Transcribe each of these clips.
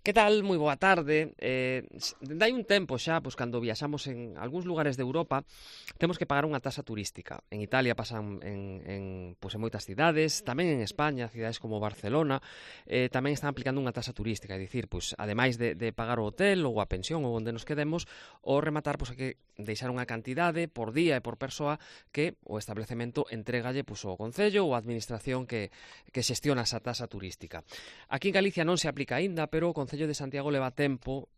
Que tal? Moi boa tarde. Dende hai un tempo xa, pois cando viaxamos en algúns lugares de Europa, temos que pagar unha taxa turística. En Italia pasan en moitas cidades, tamén en España, cidades como Barcelona, tamén están aplicando unha taxa turística, é dicir, pois ademais de pagar o hotel ou a pensión ou onde nos quedemos, o rematar pois hai que deixar unha cantidade por día e por persoa que o establecemento entregalle pois ao concello ou a administración que xestiona esa taxa turística. Aquí en Galicia non se aplica aínda, pero o Concello de Santiago leva tempo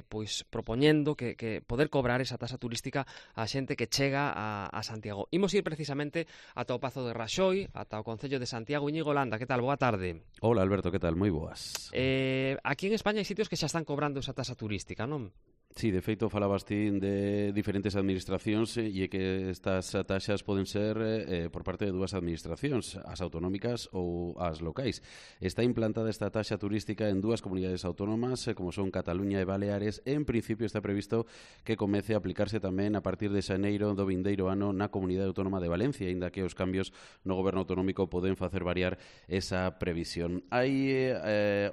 pois propoñendo que poder cobrar esa taxa turística á xente que chega a Santiago. Imos ir precisamente ata o Pazo de Raxoi, ata o Concello de Santiago. Íñigo Landa, que tal? Boa tarde. Hola Alberto, que tal? Moi boas. Aquí en España hai sitios que xa están cobrando esa taxa turística, non? Sí, de feito falabas ti de diferentes administracións e que estas taxas poden ser por parte de dúas administracións, as autonómicas ou as locais. Está implantada esta taxa turística en dúas comunidades autónomas, como son Cataluña e Baleares. En principio está previsto que comece a aplicarse tamén a partir de xaneiro do vindeiro ano na Comunidade Autónoma de Valencia, aínda que os cambios no goberno autonómico poden facer variar esa previsión. Hai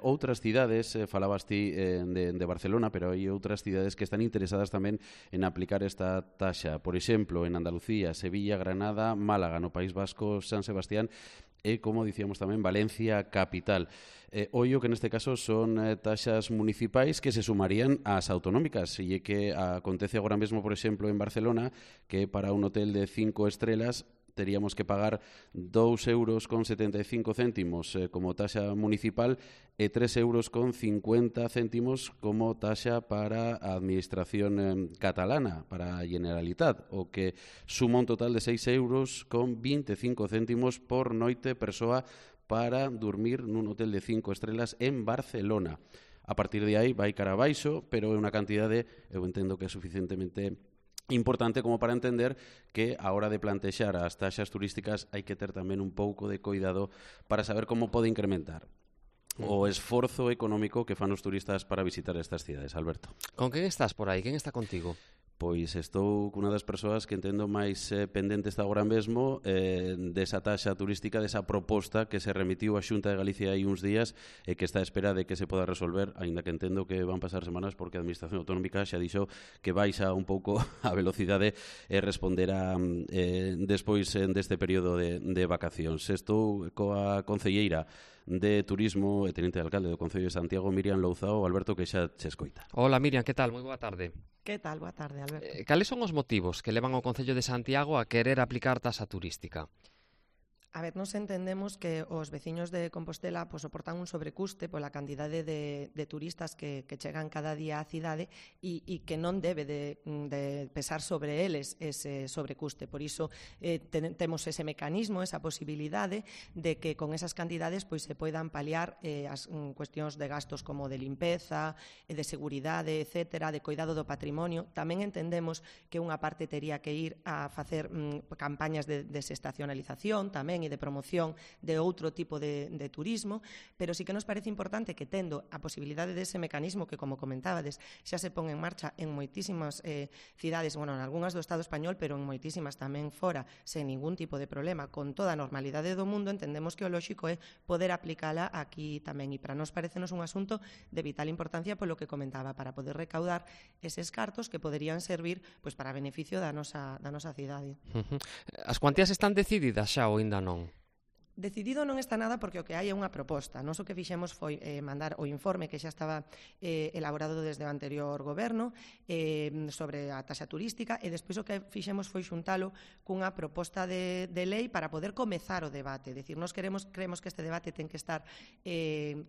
outras cidades, falabas ti de Barcelona, pero hai outras cidades que están interesadas tamén en aplicar esta taxa. Por exemplo, en Andalucía, Sevilla, Granada, Málaga, no País Vasco, San Sebastián e, como dicíamos tamén, Valencia capital. Ollo que neste caso son taxas municipais que se sumarían ás autonómicas, e que acontece agora mesmo, por exemplo, en Barcelona, que para un hotel de 5 estrelas teríamos que pagar 2,75 euros como taxa municipal e 3,50 euros como taxa para a administración catalana, para a Generalitat, o que suma un total de 6,25 euros por noite persoa para dormir nun hotel de 5 estrelas en Barcelona. A partir de aí vai cara abaixo, pero é unha cantidade, eu entendo que é suficientemente importante como para entender que a hora de plantexar as taxas turísticas hai que ter tamén un pouco de cuidado para saber como pode incrementar o esforzo económico que fan os turistas para visitar estas cidades. Alberto. Con quen estás por aí? Quen está contigo? Pois estou cunha das persoas que entendo máis pendente está agora mesmo desa taxa turística, desa proposta que se remitiu á Xunta de Galicia hai uns días e que está a espera de que se poda resolver, aínda que entendo que van pasar semanas porque a Administración Autonómica xa dixo que baixa un pouco a velocidade e responderá despois deste período de vacacións. Estou coa concelleira de Turismo e Tenente de Alcalde do Concello de Santiago, Miriam Louzao. Alberto, que xa che escoita. Hola Miriam, que tal? Moi boa tarde. Que tal? Boa tarde, Alberto. Cales son os motivos que levan ao Concello de Santiago a querer aplicar taxa turística? A ver, nos entendemos que os veciños de Compostela soportan un sobrecuste pola cantidade de turistas que chegan cada día á cidade e que non debe de pesar sobre eles ese sobrecuste. Por iso temos ese mecanismo, esa posibilidade de que con esas cantidades se poidan paliar as cuestións de gastos como de limpeza, de seguridade, etcétera, de cuidado do patrimonio. Tamén entendemos que unha parte tería que ir a facer campañas de desestacionalización tamén e de promoción de outro tipo de turismo, pero sí que nos parece importante que tendo a posibilidade dese mecanismo que, como comentábades, xa se pon en marcha en moitísimas cidades, en algunhas do Estado español, pero en moitísimas tamén fora, sen ningún tipo de problema, con toda a normalidade do mundo, entendemos que o lóxico é poder aplicala aquí tamén, e para nós parecenos un asunto de vital importancia polo que comentaba, para poder recaudar eses cartos que poderían servir para beneficio da nosa cidade. As cuantías están decididas xa ou aínda non? Decidido non está nada porque o que hai é unha proposta. Nós o que fixemos foi mandar o informe que xa estaba elaborado desde o anterior goberno sobre a taxa turística e despois o que fixemos foi xuntalo cunha proposta de lei para poder comezar o debate. Decir, nós creemos que este debate ten que estar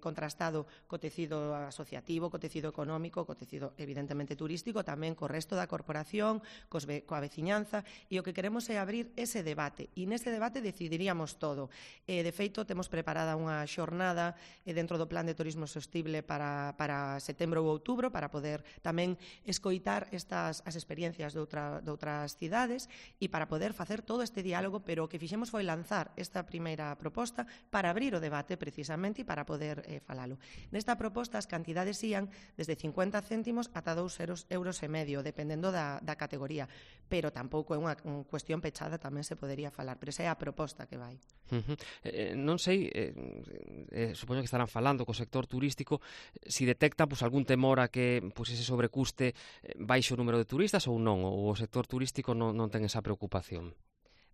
contrastado co tecido asociativo, co tecido económico, co tecido evidentemente turístico, tamén co resto da corporación, coa veciñanza, e o que queremos é abrir ese debate. E neste debate decidiríamos todo. De feito, temos preparada unha xornada dentro do Plan de Turismo Sostible para setembro ou outubro para poder tamén escoitar as experiencias de outras cidades e para poder facer todo este diálogo, pero o que fixemos foi lanzar esta primeira proposta para abrir o debate precisamente e para poder falalo. Nesta proposta as cantidades ían desde 50 céntimos ata 2,5 euros, dependendo da categoría, pero tampouco é unha cuestión pechada, tamén se podería falar, pero esa é a proposta que vai. Non sei, supoño que estarán falando co sector turístico, si detecta algún temor a que ese sobrecuste baixe o número de turistas ou non, ou o sector turístico non ten esa preocupación.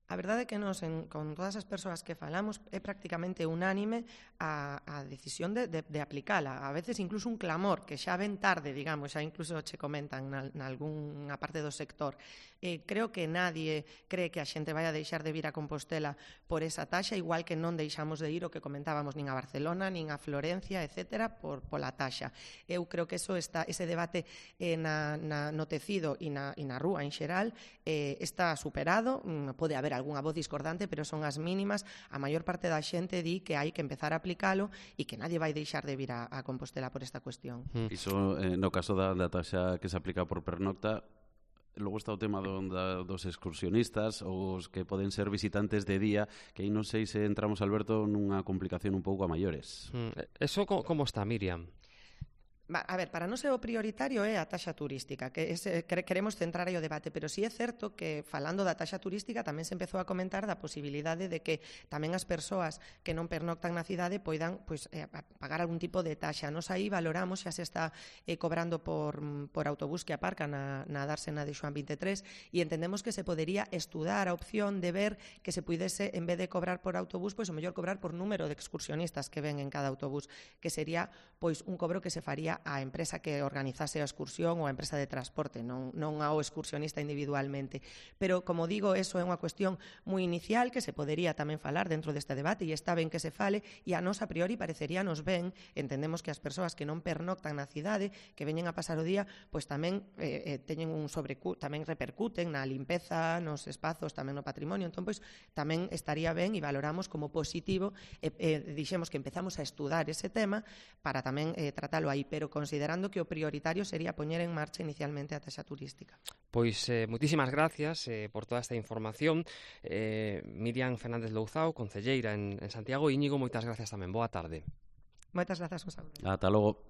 A verdade é que nos, con todas as persoas que falamos, é prácticamente unánime a decisión de aplicala. A veces incluso un clamor, que xa ven tarde, digamos, xa incluso che comentan nalgúnha parte do sector. Creo que nadie cree que a xente vai a deixar de vir a Compostela por esa taxa, igual que non deixamos de ir o que comentábamos nin a Barcelona, nin a Florencia, etcétera, pola taxa. Eu creo que ese debate no tecido e na rúa en xeral está superado. Pode haber algunha voz discordante, pero son as mínimas. A maior parte da xente di que hai que empezar a aplicalo e que nadie vai deixar de vir a Compostela por esta cuestión. Iso, no caso da taxa que se aplica por pernocta, logo está o tema dos excursionistas ou os que poden ser visitantes de día, que aí non sei se entramos, Alberto, nunha complicación un pouco a maiores. Eso como está, Miriam? A ver, para non ser o prioritario é a taxa turística, que queremos centrar aí o debate, pero sí é certo que, falando da taxa turística, tamén se empezou a comentar da posibilidade de que tamén as persoas que non pernoctan na cidade poidan pagar algún tipo de taxa. Nos aí valoramos, xa se está cobrando por autobús que aparca na dársena de Xoán 23, e entendemos que se podería estudar a opción de ver que se puidese, en vez de cobrar por autobús, pois o mellor cobrar por número de excursionistas que ven en cada autobús, que sería pois un cobro que se faría a empresa que organizase a excursión ou a empresa de transporte, non ao excursionista individualmente. Pero, como digo, eso é unha cuestión moi inicial que se podería tamén falar dentro deste debate, e está ben que se fale, e a nos a priori pareceríanos ben. Entendemos que as persoas que non pernoctan na cidade, que veñen a pasar o día, pois tamén teñen tamén repercuten na limpeza, nos espazos, tamén no patrimonio. Entón, pois, tamén estaría ben e valoramos como positivo, dixemos que empezamos a estudar ese tema para tamén tratalo aí, pero considerando que o prioritario sería poñer en marcha inicialmente a taxa turística. Pois moitísimas gracias por toda esta información. Miriam Fernández Louzao, concelleira en Santiago, e Íñigo, moitas gracias tamén. Boa tarde. Moitas grazas, un saúdo. Ata logo.